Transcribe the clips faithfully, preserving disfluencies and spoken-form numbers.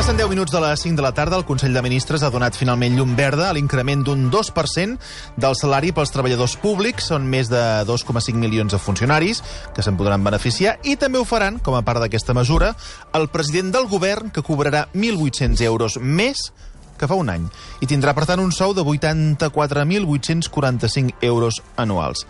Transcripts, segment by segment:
Passen deu minuts de les cinc de la tarda. El Consell de Ministres ha donat finalment llum verda a l'increment d'un dos per cent del salari pels treballadors públics. Són més de dos coma cinc milions de funcionaris que se'n podran beneficiar i també ho faran, com a part d'aquesta mesura, el president del govern, que cobrarà mil vuit-cents euros més que fa un any i tindrà, per tant, un sou de vuitanta-quatre mil vuit-cents quaranta-cinc euros anuals.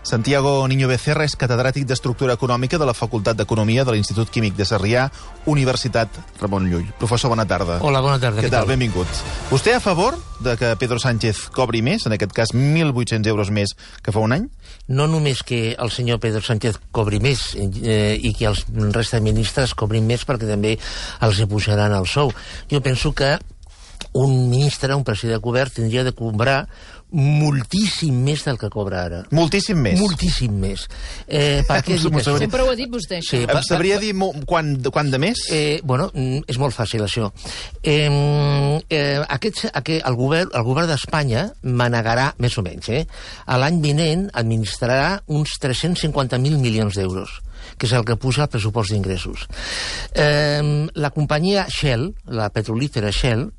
Santiago Niño Becerra és catedràtic d'Estructura Econòmica de la Facultat d'Economia de l'Institut Químic de Sarrià, Universitat Ramon Llull. Professor, bona tarda. Hola, bona tarda. Què tal? Benvingut. Vostè a favor de que Pedro Sánchez cobri més, en aquest cas mil vuit-cents euros més que fa un any? No només que el senyor Pedro Sánchez cobri més eh, i que els resta de ministres cobrin més, perquè també els pujaran el sou. Jo penso que un ministre, un president de govern, tindria de cobrar moltíssim més del que cobra ara. Moltíssim més? Moltíssim més. Eh, per què dic això? Sempre ho ha dit vostè, això. Sí, em sabria dir quan, quan de més? Eh, bueno, és molt fàcil, això. Eh, eh, aquest, aquest, el govern, el govern d'Espanya manegarà, més o menys, eh, l'any vinent administrarà uns tres-cents cinquanta mil milions d'euros, que és el que puja el pressupost d'ingressos. Eh, la companyia Shell, la petrolífera Shell,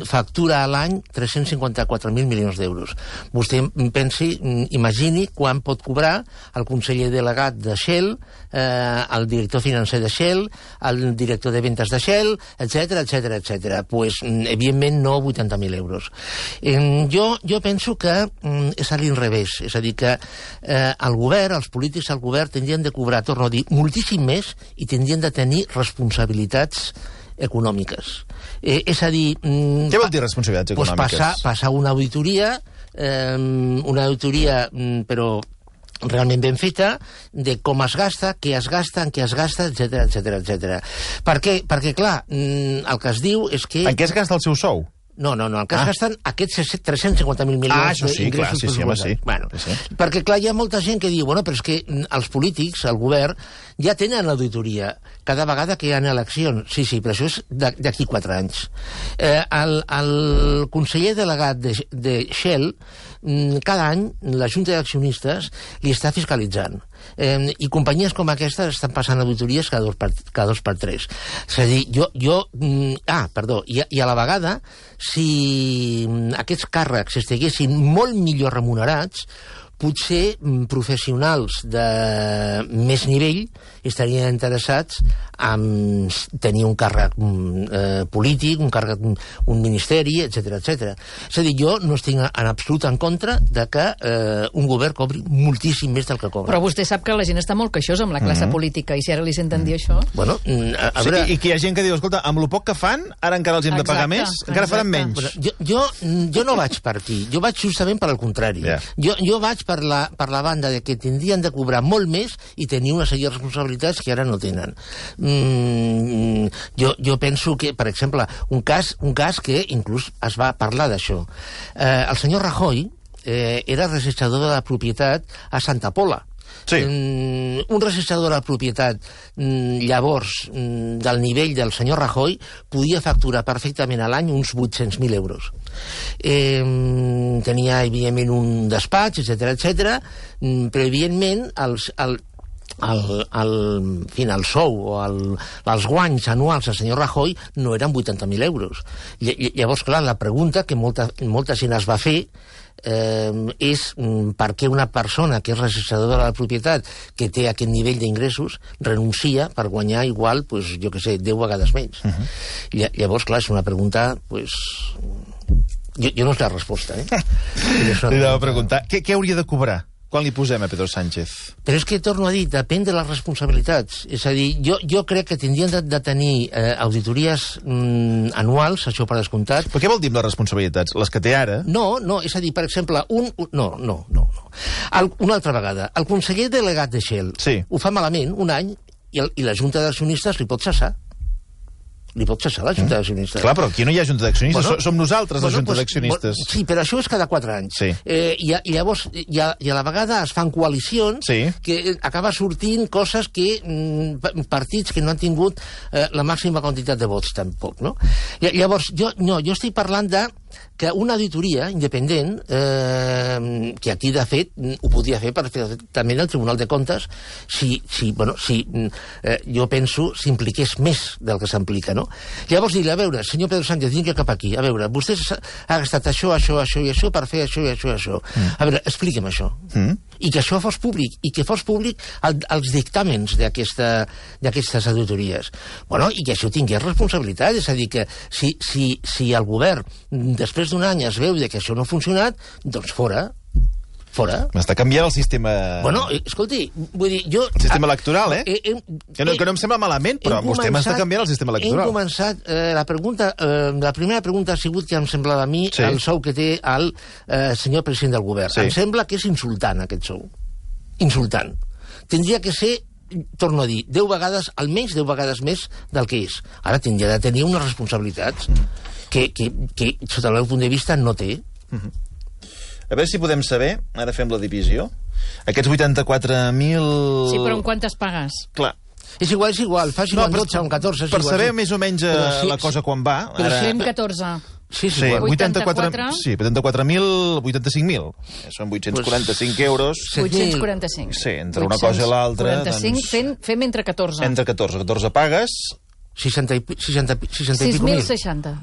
factura a l'any tres-cents cinquanta-quatre mil milions d'euros. Vostè pensi, imagini quan pot cobrar el conseller delegat de Shell, eh, el director financer de Shell, el director de ventes de Shell, etcètera, etcètera, etcètera. Pues, evidentment, no vuitanta mil euros. Eh, jo, jo penso que eh, és a l'inrevés, és a dir, que eh, el govern, els polítics del govern tindrien de cobrar, torno a dir, moltíssim més i tindrien de tenir responsabilitats econòmiques. Eh, és a dir... Què vol dir responsabilitats econòmiques? Pues passar, passar una auditoria, eh, una auditoria, però realment ben feta, de com es gasta, què es gasta, en què es gasta, etcètera, etcètera, etcètera. Per què? Perquè, clar, el que es diu és que... En què es gasta el seu sou? No, no, no, el que ah. es gasten aquests tres-cents cinquanta mil milions ah, sí, d'ingressos sí, sí, pressupostats. Sí. Bueno, sí. Perquè, clar, hi ha molta gent que diu, bueno, però és que els polítics, el govern, ja tenen l'auditoria cada vegada que hi ha eleccions. Sí, sí, però això és d'aquí quatre anys. Eh, el, el conseller delegat de, de Shell, cada any la Junta d'Accionistes li està fiscalitzant. Eh, I companyies com aquestes estan passant auditories cada dos per, cada dos per tres. És a dir, jo... jo ah, perdó, i, i a la vegada, si aquests càrrecs estiguessin molt millor remunerats, potser professionals de més nivell estarien interessats en tenir un càrrec eh, polític, un càrrec, un ministeri, etcètera, etcètera. És a dir, jo no estic en absolut en contra de que eh, un govern cobri moltíssim més del que cobra. Però vostè sap que la gent està molt queixosa amb la classe mm-hmm. política, i si ara li senten dir això... Bueno, a, a veure... Sí, i que hi ha gent que diu, escolta, amb lo poc que fan, ara encara els hem de pagar més, encara exacte. faran menys. Bueno, jo, jo, jo no vaig per aquí, jo vaig justament per al contrari. Yeah. Jo, jo vaig per la, per la banda de que tindrien de cobrar molt més i tenir una sèrie de responsabilitats que ara no tenen. Mm, jo, jo penso que, per exemple, un cas, un cas que inclús es va parlar d'això. Eh, el senyor Rajoy eh, era registrador de la propietat a Santa Pola. Sí. Mm, un registrador de la propietat mm, llavors mm, del nivell del senyor Rajoy podia facturar perfectament a l'any uns vuit-cents mil euros. Eh, tenia evidentment un despatx, etcètera, etcètera, mm, però evidentment els, el, el, el, en fi, el sou o el, els guanys anuals del senyor Rajoy no eren vuitanta mil euros. Llavors, clar, la pregunta que molta, molta gent es va fer eh, és per què una persona que és registradora de la propietat, que té aquest nivell d'ingressos, renuncia per guanyar igual, pues, jo què sé, deu vegades menys. Uh-huh. Llavors, clar, és una pregunta, pues... Jo, jo no sé la resposta, eh? Li anava a preguntar, què, què hauria de cobrar? Quan li posem a Pedro Sánchez? Però és que, torno a dir, depèn de les responsabilitats. És a dir, jo, jo crec que tindrien de, de tenir eh, auditories mm, anuals, això per descomptat. Però què vol dir amb les responsabilitats? Les que té ara? No, no, és a dir, per exemple, un... un no, no, no. no. El, una altra vegada, el conseller delegat de Shell sí. ho fa malament un any i, el, i la Junta d'accionistes li pot cessar. Li pot cessar la Junta d'accionistes. Clar, però aquí no hi ha Junta d'accionistes, bueno, som nosaltres bueno, la Junta pues, d'accionistes. Sí, però això és cada quatre anys. Sí. Eh, i, I llavors, i a, i a la vegada es fan coalicions sí. que acaba sortint coses que mm, partits que no han tingut eh, la màxima quantitat de vots tampoc, no? I, llavors, jo, no, jo estic parlant de que una auditoria independent, eh, que aquí, de fet, ho podria fer perfectament el Tribunal de Comptes, si, si, bueno, si eh, jo penso, s'impliqués més del que s'implica, no? Llavors dir, a veure, senyor Pedro Sánchez, vinga cap aquí, a veure, vostè ha gastat això, això, això i això per fer això i això i això. Mm. A veure, expliqui'm això. Mm. I que això fos públic, i que fos públic el, els dictàmens d'aquestes auditories. Bueno, i que això tingués responsabilitat, és a dir, que si, si, si el govern, després d'un any es veu que això no ha funcionat, doncs fora. Fora. M'està canviant el sistema... Bueno, escolti, vull dir, jo... El sistema electoral, eh? eh, eh que, no, que no em sembla malament, però vostè m'està canviant el sistema electoral. Hem començat... Eh, la pregunta, eh, la primera pregunta ha sigut que em semblava a mi sí. el sou que té el eh, senyor president del govern. Sí. Em sembla que és insultant, aquest sou. Insultant. Tindria que ser, torno a dir, deu vegades, almenys deu vegades més del que és. Ara tindria de tenir unes responsabilitats que, que, que sota el meu punt de vista, no té. Uh-huh. A veure si podem saber, ara fem la divisió, aquests vuitanta-quatre mil... Sí, però en quantes pagues? Clar. És igual, és igual, faci no, un dotze o un catorze. Per igual, saber sí. més o menys sí, la cosa quan va... Però ara... fem catorze. Sí, sí, sí vuitanta-quatre... Sí, vuitanta-quatre mil, vuitanta-cinc mil. Són vuit-cents quaranta-cinc pues, euros. vuit-cents quaranta-cinc. Sí, entre una cosa i l'altra... quaranta-cinc, doncs... fem, fem entre catorze. Entre catorze, catorze pagues... seixanta i pico mil. sis mil seixanta.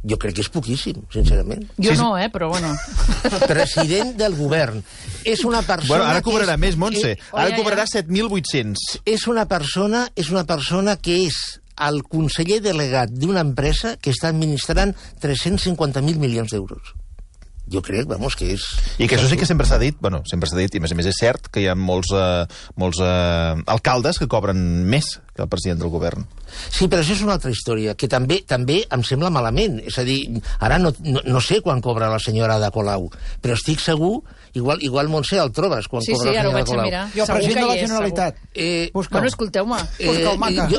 Jo crec que és poquíssim, sincerament. Jo no, eh, però bueno. President del govern. És una persona... Bueno, ara cobrarà és, més, Montse. És, ara cobrarà set mil vuit-cents. És una persona, és una persona que és el conseller delegat d'una empresa que està administrant tres-cents cinquanta mil milions d'euros. Jo crec, vamos, que és... I que això sí que sempre s'ha dit, bueno, sempre s'ha dit, i a més a més és cert que hi ha molts, uh, molts uh, alcaldes que cobren més que el president del govern. Sí, però això és una altra història, que també també em sembla malament. És a dir, ara no, no, no sé quan cobra la senyora Ada Colau, però estic segur, igual, igual Montse, el trobes quan sí, cobra sí, la senyora Colau. Sí, sí, ara ho vaig a mirar. Jo, president de la Generalitat. Eh, bueno, escolteu-me. Eh, jo,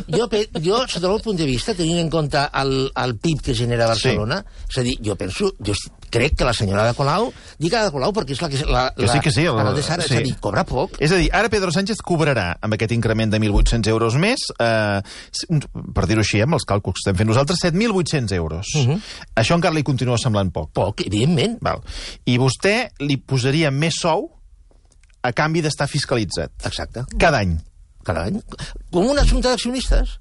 jo, jo, sota el meu punt de vista, tenint en compte el, el P I B que genera Barcelona, sí. És a dir, jo penso, jo crec que la senyora Ada Colau, dic Ada Colau perquè és la que... La, que sí, que sí. La, la, la, ara, sí. És a dir, cobra poc. És a dir, ara Pedro Sánchez cobrarà, amb aquest increment de mil vuit-cents euros més, eh, per dir-ho així, amb els càlculs que estem fent nosaltres, set mil vuit-cents euros. Uh -huh. Això encara li continua semblant poc. Poc, evidentment. Val. I vostè li posaria més sou a canvi d'estar fiscalitzat. Exacte. Cada any. Cada any. Com una junta d'accionistes.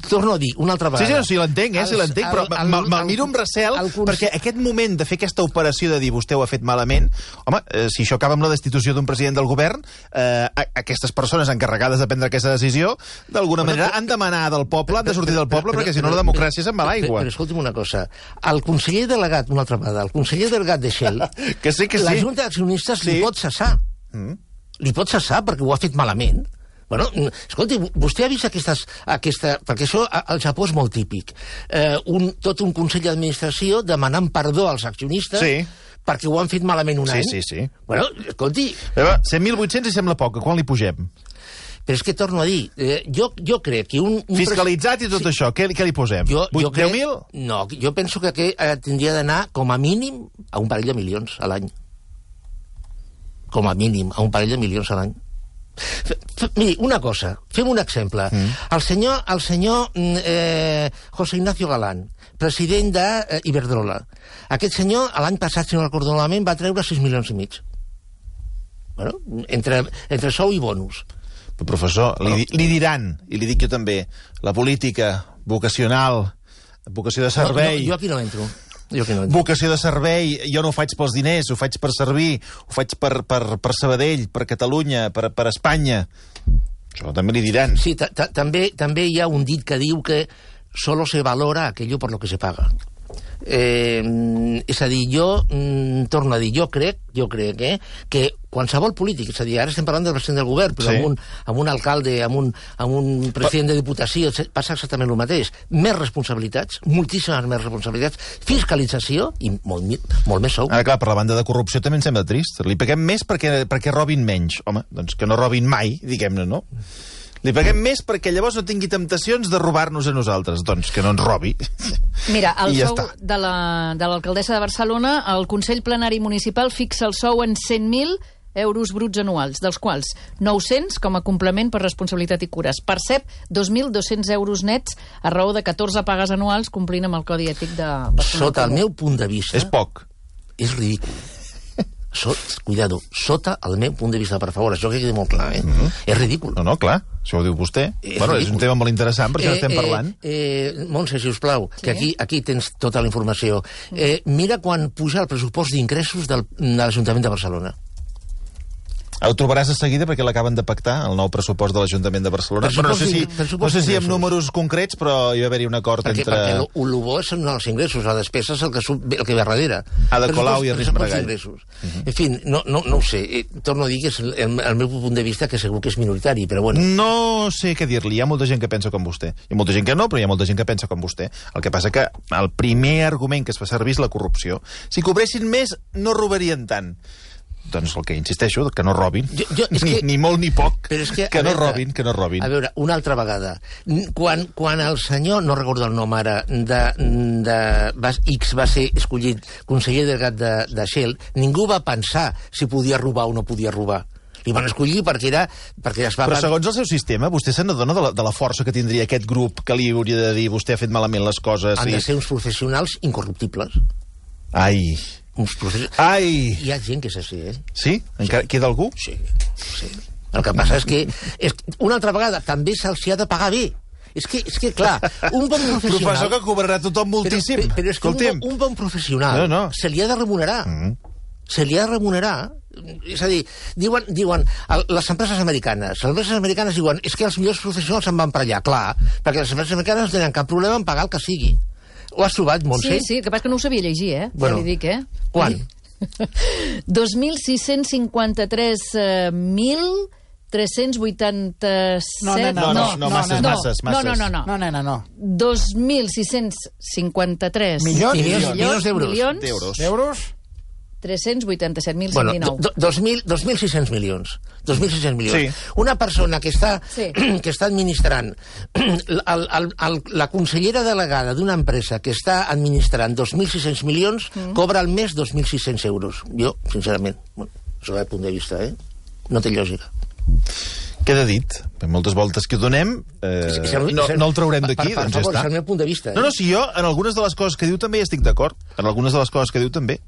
Torno a dir, una altra vegada. Sí, sí, sí l'entenc, eh, sí l'entenc, però me'l miro amb recel, perquè aquest moment de fer aquesta operació de dir vostè ho ha fet malament, home, eh, si això acaba amb la destitució d'un president del govern, eh, aquestes persones encarregades de prendre aquesta decisió, d'alguna manera han d'emanar del poble, han de sortir del poble, perquè si no la democràcia se'n va a l'aigua. Però escolti'm una cosa, el conseller delegat, una altra vegada, el conseller delegat de Shell, que sí, que sí. La junta d'accionistes sí. Li pot cessar. Mm. Li pot cessar perquè ho ha fet malament. Bueno, escolti, vostè ha vist aquestes... Aquesta, perquè això al Japó és molt típic. Eh, un, tot un consell d'administració demanant perdó als accionistes sí. Perquè ho han fet malament un sí, any. Sí, sí, sí. Bueno, escolti... set mil vuit-cents i sembla poc. Quan li pugem? Però és que torno a dir, eh, jo, jo crec que un... un fiscalitzat i tot sí. Això, què, què li posem? Jo, jo deu mil? No, jo penso que aquest eh, tindria d'anar com a mínim a un parell de milions a l'any. Com a mínim, a un parell de milions a l'any. F -f Miri, una cosa, fem un exemple. Mm. El senyor, el senyor eh, José Ignacio Galán, president d'Iberdrola. Eh, Aquest senyor, l'any passat, si no recordo malament, va treure sis milions i mig. Bueno, entre, entre sou i bonus. Però, professor, li, li diran, i li dic jo també, la política vocacional, vocació de servei... No, no, jo aquí no entro. Jo que no vocació de servei, jo no ho faig pels diners, ho faig per servir, ho faig per, per, per Sabadell, per Catalunya, per, per Espanya. Això també li diran. Sí, també també hi ha un dit que diu que solo se valora aquello por lo que se paga. Eh, és a dir, jo mm, torno a dir, jo crec, jo crec eh, que qualsevol polític, és a dir, ara estem parlant del president del govern, però sí. amb, un, amb un alcalde, amb un, amb un president de diputació, passa exactament el mateix. Més responsabilitats, moltíssimes més responsabilitats, fiscalització i molt, molt més sou. Ara, clar, per la banda de corrupció també em sembla trist. Li paguem més perquè, perquè robin menys. Home, doncs que no robin mai, diguem-ne, no? Li paguem més perquè llavors no tingui temptacions de robar-nos a nosaltres. Doncs que no ens robi. Mira, el ja sou està. de l'alcaldessa la, de, de Barcelona, el Consell Plenari Municipal fixa el sou en cent mil euros bruts anuals, dels quals nou-cents com a complement per responsabilitat i cures. Percep dos mil dos-cents euros nets a raó de catorze pagues anuals complint amb el Codi Ètic de Barcelona. Sota el meu punt de vista... És poc. És ridícul. So, cuidado, sota el meu punt de vista, per favor, això que quedi molt clar, eh? Mm-hmm. És ridícul. No, no, clar, això ho diu vostè. És bueno, ridícul. és un tema molt interessant, perquè eh, estem eh, parlant. Eh, Montse, si us plau, Sí? que aquí, aquí tens tota la informació. Eh, mira quan puja el pressupost d'ingressos del, de l'Ajuntament de Barcelona. Ho trobaràs de seguida perquè l'acaben de pactar, el nou pressupost de l'Ajuntament de Barcelona. Però no sé si, no sé si amb números concrets, però hi va haver-hi un acord perquè, entre... Perquè el, el bo són els ingressos, la despesa és el que, sub, el que ve darrere. Ada Colau i Ernest Maragall. Uh-huh. En fi, no, no, no ho sé. Eh, torno a dir que és el, el, el meu punt de vista, que segur que és minoritari, però bueno. No sé què dir-li. Hi ha molta gent que pensa com vostè. Hi ha molta gent que no, però hi ha molta gent que pensa com vostè. El que passa que el primer argument que es fa servir és la corrupció. Si cobressin més, no robarien tant. Doncs el que insisteixo, que no robin. Jo, jo, és ni, que, ni molt ni poc. però és que, que no veure, robin, que no robin. A veure, una altra vegada. Quan, quan el senyor, no recordo el nom ara, de, de va, X va ser escollit conseller delegat de, de Shell, ningú va pensar si podia robar o no podia robar. Li van escollir perquè era... Perquè es va... Però segons el seu sistema, vostè se n'adona de, la, de la força que tindria aquest grup que li hauria de dir vostè ha fet malament les coses. Han i... de ser uns professionals incorruptibles. Ai... Uns professionals... Ai! Hi ha gent que és així, eh? Sí? Encara queda algú? Sí, sí. El que passa és que, és, una altra vegada, també se'ls ha de pagar bé. És que, és que clar, un bon professional... Professor que cobrarà tothom moltíssim. Però, però és que un bon, un bon professional no, no. se li ha de remunerar. Mm-hmm. Se li ha de remunerar. És a dir, diuen, diuen el, les empreses americanes, les empreses americanes diuen és que els millors professionals se'n van per allà. Clar, perquè les empreses americanes no tenen cap problema en pagar el que sigui. Ho has trobat, Montse? Sí, sí, el que passa que no ho sabia llegir, eh? Bueno, ja li dic, eh? Quan? dos mil sis-cents cinquanta-tres mil tres-cents vuitanta-set... No, no, no, no, no, masses, no, masses, masses. No, no, no, no. No, nena, no. dos mil sis-cents cinquanta-tres Milions? Milions, milions d'euros. milions, D'euros. D'euros? tres-cents vuitanta-set mil cent Bueno, dinou. do, dos mil sis-cents milions. dos mil sis-cents milions. Sí. Una persona que està, Sí. que està administrant, el, el, el, la consellera delegada d'una empresa que està administrant dos mil sis-cents milions, mm. cobra al mes dos mil sis-cents euros. Jo, sincerament, bueno, això és el punt de vista, eh? No té lògica. Queda dit. Per moltes voltes que ho donem, eh, És el- no, és el- no el traurem per- d'aquí, per- per doncs ja favor, està. és el meu punt de vista, eh? No, no, si jo, en algunes de les coses que diu també hi estic d'acord. En algunes de les coses que diu també.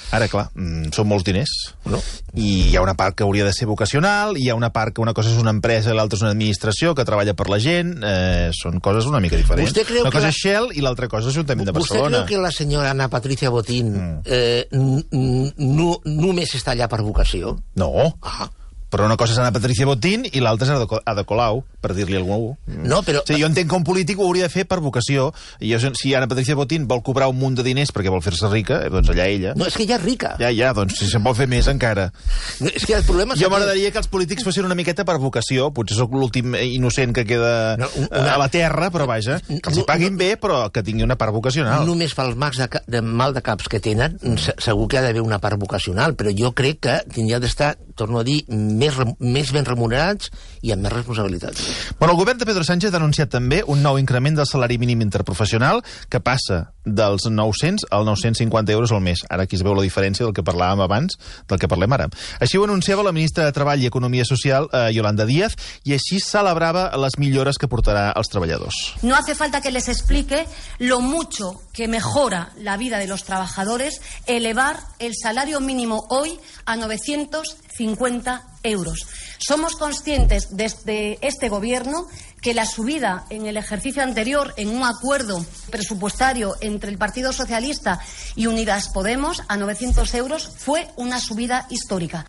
Ara, clar, mm, són molts diners. No. I hi ha una part que hauria de ser vocacional, i hi ha una part que una cosa és una empresa i l'altra és una administració que treballa per la gent. Eh, són coses una mica diferents. Vostè creu una que cosa la- és Shell i l'altra cosa és l'Ajuntament de ¿Usted Barcelona. creu que la senyora Ana Patricia Botín mm. eh, n- n- no, només està allà per vocació? No. Ah. Però una cosa és Ana Patricia Botín i l'altra és Ada- Ada Colau, per dir-li a algú. No, però... Sí, jo entenc que un polític ho hauria de fer per vocació. I jo, si Ana Patricia Botín vol cobrar un munt de diners perquè vol fer-se rica, eh, doncs allà ella. No, és que ja és rica. Ja, ja, doncs si se'n vol fer més encara. No, és que el problema... Jo m'agradaria que els polítics fossin una miqueta per vocació. Potser sóc l'últim innocent que queda No, una- a la terra, però vaja, que els hi paguin bé, però que tingui una part vocacional. Només pels mags de, ca- de mal de caps que tenen, se- segur que ha d'haver una part vocacional, però jo crec que tindria d'estar, torno a dir, més, re- més ben remunerats i amb més responsabilitats. Bueno, el govern de Pedro Sánchez ha anunciat també un nou increment del salari mínim interprofessional que passa dels nou-cents als nou-cents cinquanta euros al mes. Ara aquí es veu la diferència del que parlàvem abans, del que parlem ara. Així ho anunciava la ministra de Treball i Economia Social, eh, Yolanda Díaz, i així celebrava les millores que portarà als treballadors. No hace falta que les explique lo mucho que mejora la vida de los trabajadores elevar el salario mínimo hoy a novecientos cincuenta euros. Somos conscientes desde este Gobierno que la subida en el ejercicio anterior en un acuerdo presupuestario entre el Partido Socialista y Unidas Podemos a novecientos euros fue una subida histórica.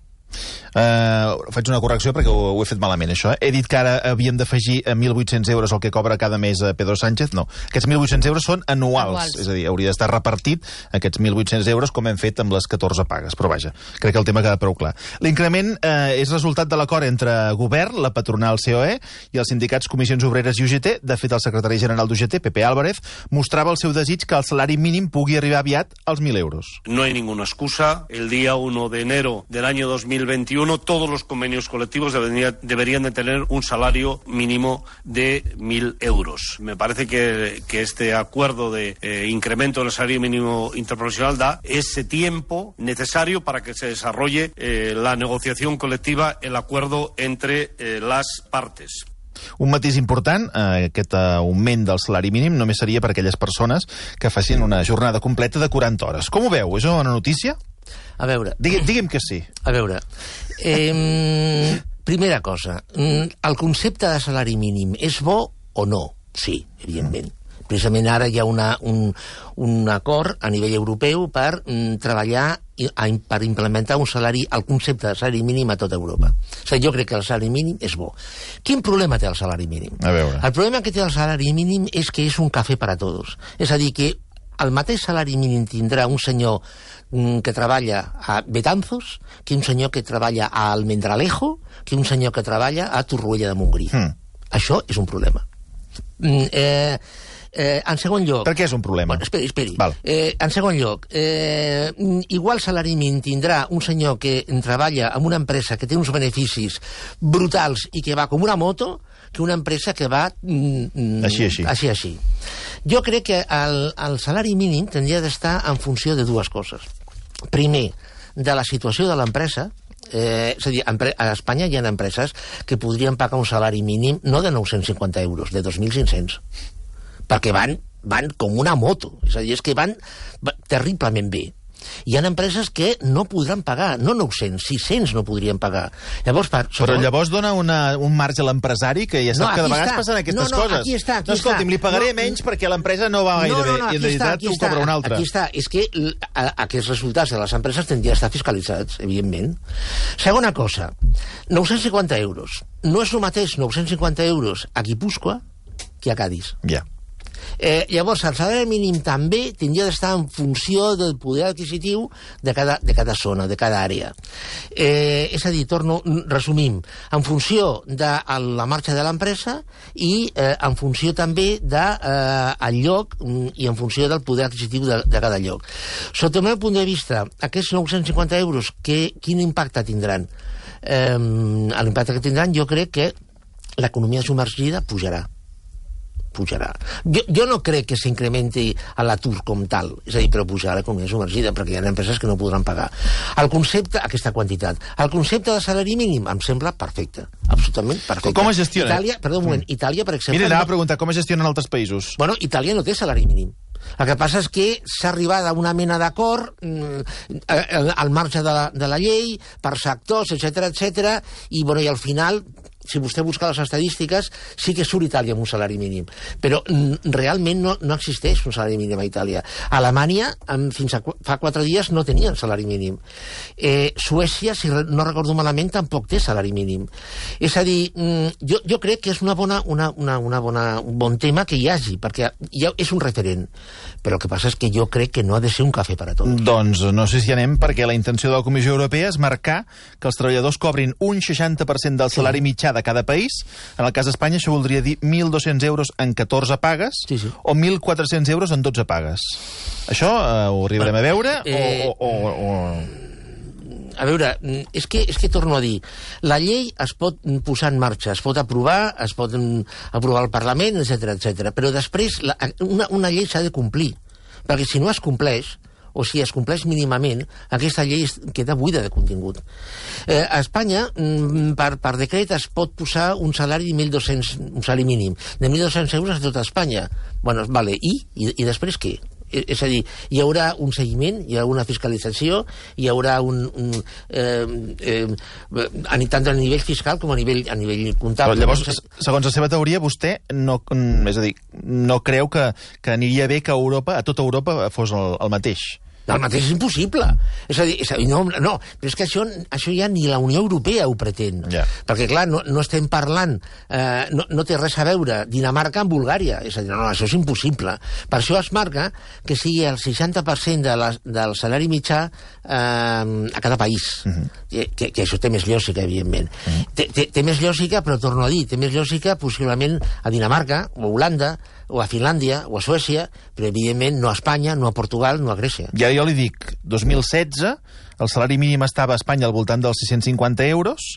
Uh, faig una correcció perquè ho, ho he fet malament, això. Eh? He dit que ara havíem d'afegir a mil vuit-cents euros el que cobra cada mes a Pedro Sánchez. No, aquests mil vuit-cents euros són anuals. anuals. És a dir, hauria d'estar repartit aquests mil vuit-cents euros com hem fet amb les catorze pagues. Però vaja, crec que el tema queda prou clar. L'increment eh, és resultat de l'acord entre govern, la patronal C O E i els sindicats Comissions Obreres i U G T. De fet, el secretari general d'U G T, Pepe Álvarez, mostrava el seu desig que el salari mínim pugui arribar aviat als mil euros. No hay ninguna excusa. El día uno de enero del año dos mil veintiuno veintiuno todos los convenios colectivos debería, deberían de tener un salario mínimo de mil euros. Me parece que, que este acuerdo de eh, incremento del salario mínimo interprofesional da ese tiempo necesario para que se desarrolle eh, la negociación colectiva, el acuerdo entre eh, las partes. Un matís important, eh, aquest augment del salari mínim només seria per a aquelles persones que facin una jornada completa de quaranta hores. Com ho veu? És una notícia? A veure... Digui, digui'm que sí. A veure, eh, primera cosa, el concepte de salari mínim és bo o no? Sí, evidentment. Precisament ara hi ha una, un, un acord a nivell europeu per mm, treballar i, a, per implementar un salari, el concepte de salari mínim a tota Europa. O sigui, jo crec que el salari mínim és bo. Quin problema té el salari mínim? A veure. El problema que té el salari mínim és que és un cafè per a tots. És a dir, que el mateix salari mínim tindrà un senyor mm, que treballa a Betanzos, que un senyor que treballa a Almendralejo, que un senyor que treballa a Torroella de Montgrí. Mm. Això és un problema. Mm, eh... Eh, en segon lloc... Per què és un problema? Bueno, esperi, esperi. Val. Eh, en segon lloc, eh, igual salari mínim tindrà un senyor que treballa en una empresa que té uns beneficis brutals i que va com una moto que una empresa que va... Mm, així, així. Així, així. Jo crec que el, el salari mínim tindria d'estar en funció de dues coses. Primer, de la situació de l'empresa. Eh, és a dir, a Espanya hi ha empreses que podrien pagar un salari mínim no de nou-cents cinquanta euros, de dos mil cinc-cents. Perquè van, van com una moto. És a dir, és que van terriblement bé. Hi ha empreses que no podran pagar, no nou-cents, sis-cents no podrien pagar. Llavors, per, Però sobre... llavors dona una, un marge a l'empresari que ja sap no, que de vegades està. passen aquestes no, no, coses. Aquí està, aquí no, escolti'm, li pagaré no, menys perquè l'empresa no va gaire no, no, no, bé i en realitat ho cobra una altra. Aquí està, és que a, aquests resultats de les empreses tindrien d'estar fiscalitzats, evidentment. Segona cosa, nou-cents cinquanta euros. No és el mateix nou-cents cinquanta euros a Guipúscoa que a Cádiz. Ja. Yeah. Eh, llavors, el salari mínim també tindria d'estar en funció del poder adquisitiu de cada, de cada zona, de cada àrea. Eh, és a dir, torno, resumim, en funció de la marxa de l'empresa i eh, en funció també del de, eh, lloc i en funció del poder adquisitiu de, de cada lloc. Sota el meu punt de vista, aquests nou-cents cinquanta euros, que, quin impacte tindran? Eh, l'impacte que tindran, jo crec que l'economia submergida pujarà. pujarà. Jo, jo no crec que s'incrementi a l'atur com tal, és a dir, però pujarà l'economia submergida, perquè hi ha empreses que no podran pagar. El concepte, aquesta quantitat, el concepte de salari mínim em sembla perfecte, absolutament perfecte. Com es gestiona? Itàlia, perdó un moment, mm. Itàlia, per exemple... Mira, anava no... a preguntar, com es gestionen altres països? Bueno, Itàlia no té salari mínim. El que passa és que s'ha arribat a una mena d'acord mm, al marge de la, de la llei, per sectors, etcètera, etcètera, i, bueno, i al final... si vostè busca les estadístiques, sí que surt Itàlia amb un salari mínim. Però mm, realment no, no existeix un salari mínim a Itàlia. A Alemanya, amb, fins a fa quatre dies, no tenien salari mínim. Eh, Suècia, si no recordo malament, tampoc té salari mínim. És a dir, mm, jo, jo crec que és una bona, una, una, una bona, un bon tema que hi hagi, perquè ja és un referent. Però el que passa és que jo crec que no ha de ser un cafè per a tots. Doncs no sé si anem, perquè la intenció de la Comissió Europea és marcar que els treballadors cobrin un seixanta per cent del salari sí. mitjà de cada país. En el cas d'Espanya això voldria dir mil dos-cents euros en catorze pagues sí, sí. o mil quatre-cents euros en dotze pagues. Això eh, ho arribarem a veure eh, o, o, o... A veure, és que, és que torno a dir, la llei es pot posar en marxa, es pot aprovar, es pot aprovar al Parlament, etcètera, etcètera. Però després la, una, una llei s'ha de complir, perquè si no es compleix, o si es compleix mínimament, aquesta llei queda buida de contingut. Eh, a Espanya, per, per decret, es pot posar un salari de mil dos-cents, un salari mínim, de mil dos-cents euros a tota Espanya. Bueno, vale, i? I, i després què? És a dir, hi haurà un seguiment, hi haurà una fiscalització, hi haurà un... un eh, eh, tant a nivell fiscal com a nivell, a nivell comptable. Però llavors, segons la seva teoria, vostè no, és a dir, no creu que, que aniria bé que a Europa, a tota Europa, fos el, el mateix? El mateix és impossible. És a dir, és a dir no, no, però és que això, això ja ni la Unió Europea ho pretén. Yeah. Perquè, clar, no, no estem parlant, eh, no, no té res a veure Dinamarca amb Bulgària. És a dir, no, no, això és impossible. Per això es marca que sigui el seixanta per cent de la, del salari mitjà eh, a cada país. Uh -huh. que, que això té més lògica, evidentment. Uh -huh. té, té, té més lògica, però torno a dir, té més lògica possiblement a Dinamarca o a Holanda o a Finlàndia, o a Suècia, però evidentment no a Espanya, no a Portugal, no a Grècia. Ja jo li dic, dos mil setze, el salari mínim estava a Espanya al voltant dels sis-cents cinquanta euros,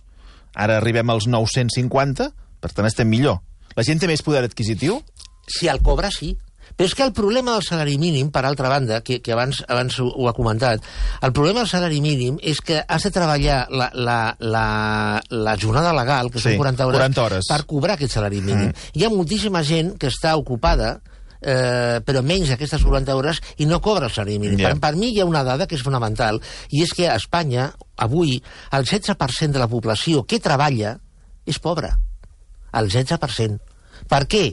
ara arribem als nou-cents cinquanta, per tant estem millor. La gent té més poder adquisitiu? Si el cobra, sí. Però és que el problema del salari mínim, per altra banda, que, que abans, abans ho, ho ha comentat, el problema del salari mínim és que has de treballar la, la, la, la jornada legal, que sí, són quaranta hores, quaranta hores, per cobrar aquest salari mínim. Mm. Hi ha moltíssima gent que està ocupada, eh, però menys aquestes quaranta hores, i no cobra el salari mínim. Yeah. Per, per mi hi ha una dada que és fonamental, i és que a Espanya, avui, el setze per cent de la població que treballa és pobra. El setze per cent. Per què?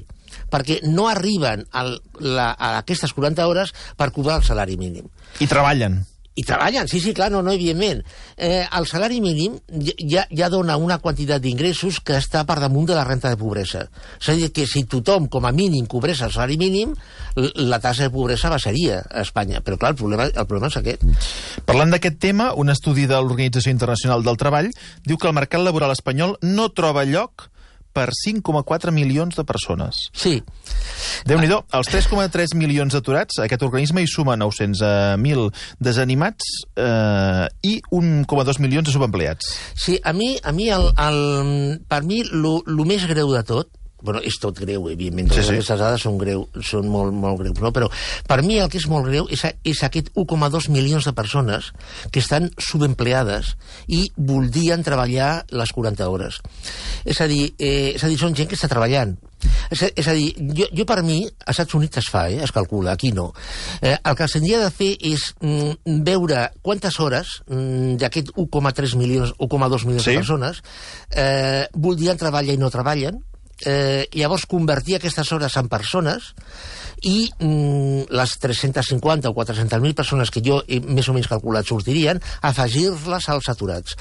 Perquè no arriben al, la, a aquestes quaranta hores per cobrar el salari mínim. I treballen. I treballen, sí, sí, clar, no, no, evidentment. Eh, el salari mínim ja, ja dona una quantitat d'ingressos que està per damunt de la renta de pobresa. És a dir, que si tothom, com a mínim, cobrés el salari mínim, la tassa de pobresa baixaria a Espanya. Però, clar, el problema, el problema és aquest. Parlant d'aquest tema, un estudi de l'Organització Internacional del Treball diu que el mercat laboral espanyol no troba lloc per cinc coma quatre milions de persones. Sí. Déu-n'hi-do, els tres coma tres milions d'aturats, aquest organisme hi suma nou-cents mil desanimats eh, i un coma dos milions de subempleats. Sí, a mi, a mi el, el, per mi, el més greu de tot, bueno, és tot greu, evidentment, totes sí, sí. aquestes dades són, greu, són molt, molt greus, no? Però per mi el que és molt greu és, és aquest un coma dos milions de persones que estan subempleades i voldrien treballar les quaranta hores. És a dir, eh, és a dir, són gent que està treballant. És a, és a dir, jo, jo per mi, als Estats Units es fa, eh, es calcula, aquí no. Eh, el que s'hauria de fer és mm, veure quantes hores mm, d'aquest un coma tres milions, un coma dos milions sí. de persones eh, voldrien treballar i no treballen, Eh, llavors convertir aquestes hores en persones i mm, les tres-centes cinquanta o quatre-centes mil persones que jo he més o menys calculat sortirien, afegir-les als aturats.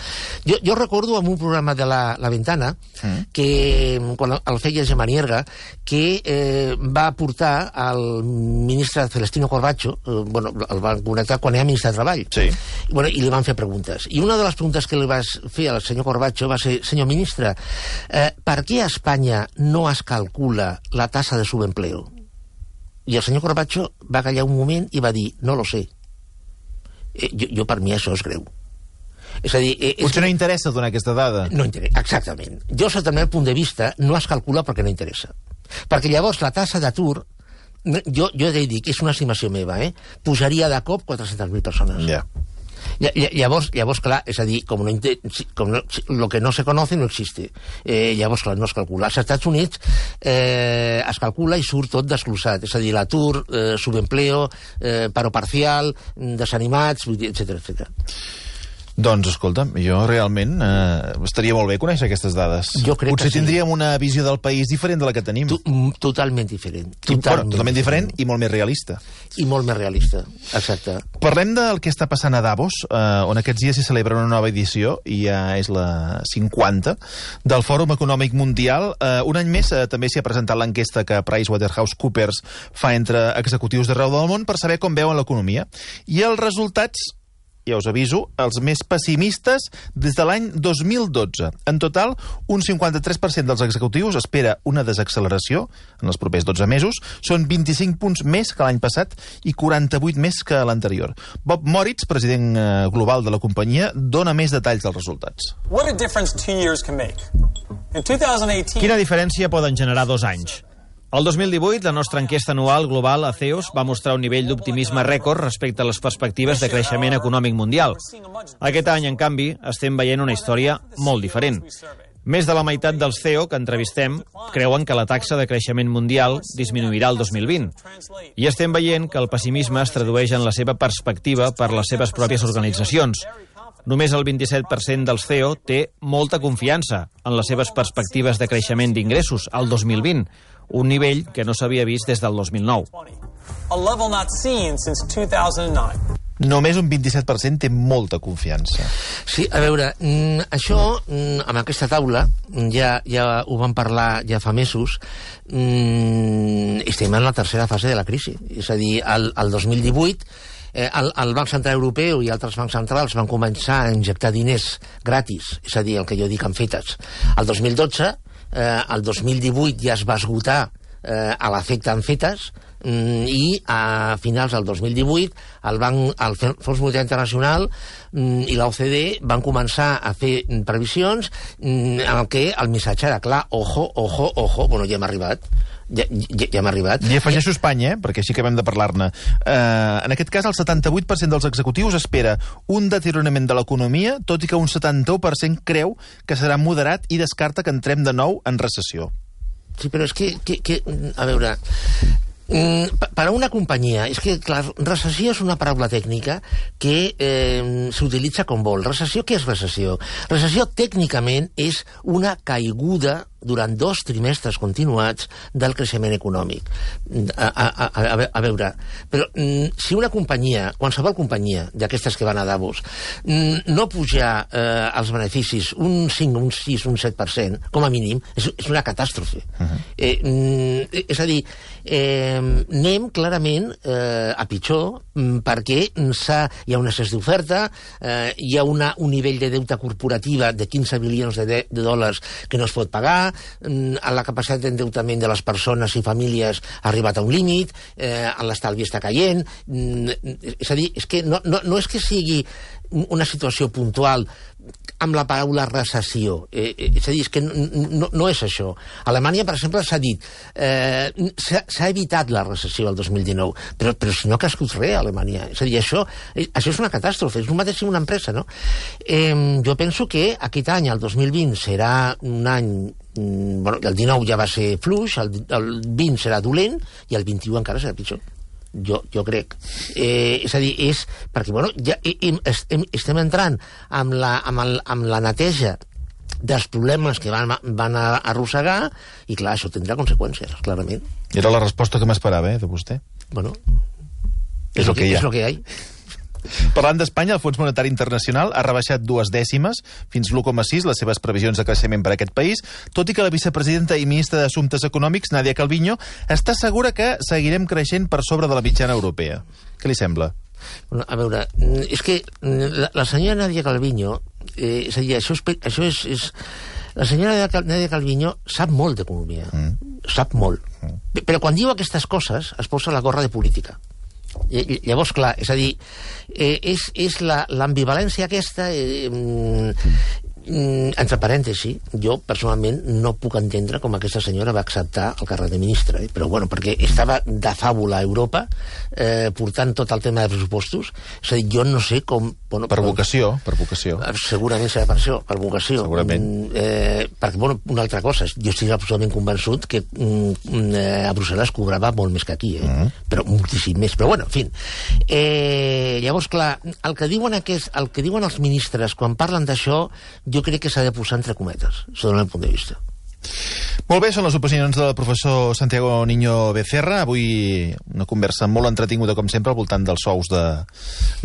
Jo, jo recordo en un programa de La, la Ventana, mm. que quan el feia Gemma Nierga, que eh, va portar al ministre Celestino Corbacho, eh, bueno, el van connectar quan era ministre de Treball, sí. I, bueno, i li van fer preguntes. I una de les preguntes que li vas fer al senyor Corbacho va ser: senyor ministre, eh, per què a Espanya no es calcula la tassa de subempleo? I el senyor Corbacho va callar un moment i va dir: no lo sé. Eh, jo, jo per mi això és greu. És a dir... Eh, Potser no interessa donar aquesta dada. No interessa, exactament. Jo, sota el meu punt de vista, no es calcula perquè no interessa. Perquè llavors la tassa d'atur, jo, jo he de dir que és una estimació meva, eh? Pujaria de cop quatre-centes mil persones. Ja. Llavors, llavors, clar, és a dir, com no, com no, lo que no se conoce no existe. Eh, llavors, clar, no es calcula. Als Estats Units eh, es calcula i surt tot desglossat. És a dir, l'atur, eh, subempleo, eh, paro parcial, desanimats, etcètera, etcètera. Doncs, escolta'm, jo realment eh, estaria molt bé conèixer aquestes dades. Jo crec Potser que sí. tindríem una visió del país diferent de la que tenim. Tu, totalment diferent. Totalment, bueno, totalment diferent i molt més realista. I molt més realista, exacte. Parlem del que està passant a Davos, eh, on aquests dies s'hi celebra una nova edició, i ja és la cinquanta, del Fòrum Econòmic Mundial. Eh, un any més eh, també s'hi ha presentat l'enquesta que PricewaterhouseCoopers fa entre executius d'arreu del món per saber com veuen l'economia. I els resultats, ja us aviso, els més pessimistes des de l'any dos mil dotze. En total, un cinquanta-tres per cent dels executius espera una desacceleració en els propers dotze mesos. Són vint-i-cinc punts més que l'any passat i quaranta-vuit més que l'anterior. Bob Moritz, president global de la companyia, dona més detalls dels resultats. What a difference two years can make. In twenty eighteen... Quina diferència poden generar dos anys? El dos mil divuit, la nostra enquesta anual global a C E O S va mostrar un nivell d'optimisme rècord respecte a les perspectives de creixement econòmic mundial. Aquest any, en canvi, estem veient una història molt diferent. Més de la meitat dels C E O que entrevistem creuen que la taxa de creixement mundial disminuirà el dos mil vint. I estem veient que el pessimisme es tradueix en la seva perspectiva per les seves pròpies organitzacions. Només el vint-i-set per cent dels C E O té molta confiança en les seves perspectives de creixement d'ingressos al dos mil vint, un nivell que no s'havia vist des del dos mil nou. Només un vint-i-set per cent té molta confiança. Sí, a veure, això, amb aquesta taula, ja, ja ho vam parlar ja fa mesos, estem en la tercera fase de la crisi. És a dir, el, el dos mil divuit eh, el, el Banc Central Europeu i altres bancs centrals van començar a injectar diners gratis, és a dir, el que jo dic en fetes. El dos mil dotze, eh, el dos mil divuit ja es va esgotar eh, a l'efecte en fetes, Mm, I a finals del dos mil divuit el, banc, el Fons Monetari Internacional mm, i l'O C D van començar a fer previsions mm, en el que el missatge era clar, ojo, ojo, ojo, bueno, ja hem arribat. Ja, ja, ja hem arribat. I afegeixo Espanya, eh? Perquè així acabem de parlar-ne. Uh, en aquest cas, el setanta-vuit per cent dels executius espera un deteriorament de l'economia, tot i que un setanta-u per cent creu que serà moderat i descarta que entrem de nou en recessió. Sí, però és que, que, que a veure... Mm, per a una companyia, és que, clar, recessió és una paraula tècnica que eh, s'utilitza com vol. Recessió, què és recessió? Recessió, tècnicament, és una caiguda durant dos trimestres continuats del creixement econòmic. A, a, a, a veure, però mm, si una companyia, qualsevol companyia d'aquestes que van a Davos, mm, no pujar eh, els beneficis un cinc, un sis, un set per cent, com a mínim, és, és una catàstrofe. Uh-huh. eh, mm, és a dir, eh, anem clarament eh, a pitjor mm, perquè hi ha un excés d'oferta, eh, hi ha una, un nivell de deute corporativa de quinze bilions de, de, de dòlars que no es pot pagar, la capacitat d'endeutament de les persones i famílies ha arribat a un límit, eh, l'estalvi està caient, és a dir, és que no, no, no és que sigui una situació puntual amb la paraula recessió, eh, és a dir, és que no, no, no és això. A Alemanya, per exemple, s'ha dit eh, s'ha evitat la recessió el dos mil dinou, però, però si no ha crescut res a Alemanya. És a dir, això, això és una catàstrofe, és el mateix que una empresa, no? Eh, jo penso que aquest any, el dos mil vint, serà un any... Bueno, el dinou ja va ser fluix, el, el vint serà dolent i el vint-i-u encara serà pitjor. Jo, jo crec. Eh, és a dir, és... Perquè, bueno, ja hem, estem, estem entrant amb la, amb, el, amb la neteja dels problemes que van, van arrossegar i, clar, això tindrà conseqüències, clarament. Era la resposta que m'esperava, eh, de vostè. Bueno, és, és el que hi ha. És el que hi ha. Parlant d'Espanya, el Fons Monetari Internacional ha rebaixat dues dècimes, fins l'u coma sis, les seves previsions de creixement per a aquest país, tot i que la vicepresidenta i ministra d'Assumptes Econòmics, Nadia Calviño, està segura que seguirem creixent per sobre de la mitjana europea. Què li sembla? Bueno, a veure, és que la, la senyora Nadia Calviño, eh, és a dir, això és... Això és, és la senyora Nadia Calviño sap molt d'economia, mm. sap molt. Mm. Però quan diu aquestes coses es posa la gorra de política. Llavors, clar, és a dir, eh, és, és l'ambivalència aquesta... Eh, mm, entre parèntesi, jo personalment no puc entendre com aquesta senyora va acceptar el càrrec de ministra, eh? Però bueno, perquè estava de fàbula a Europa eh, portant tot el tema de pressupostos, és a dir, jo no sé com... Bueno, per vocació, per vocació. Segurament serà per això, per vocació. Segurament. Eh, perquè, bueno, una altra cosa, jo estic absolutament convençut que mm, eh, a Brussel·les cobrava molt més que aquí, eh? Mm. Però moltíssim més, però bueno, en fi. Eh, llavors, clar, el que diuen aquest, el que diuen els ministres quan parlen d'això, jo crec que s'ha de posar entre cometes, des del meu punt de vista. Molt bé, són les opinions del professor Santiago Niño Becerra. Avui una conversa molt entretinguda, com sempre, al voltant dels sous de,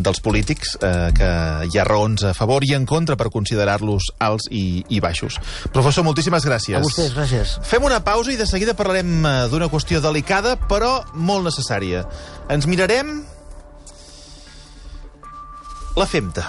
dels polítics, eh, que hi ha raons a favor i en contra per considerar-los alts i, i baixos. Professor, moltíssimes gràcies. A vostès, gràcies. Fem una pausa i de seguida parlarem d'una qüestió delicada, però molt necessària. Ens mirarem la femta.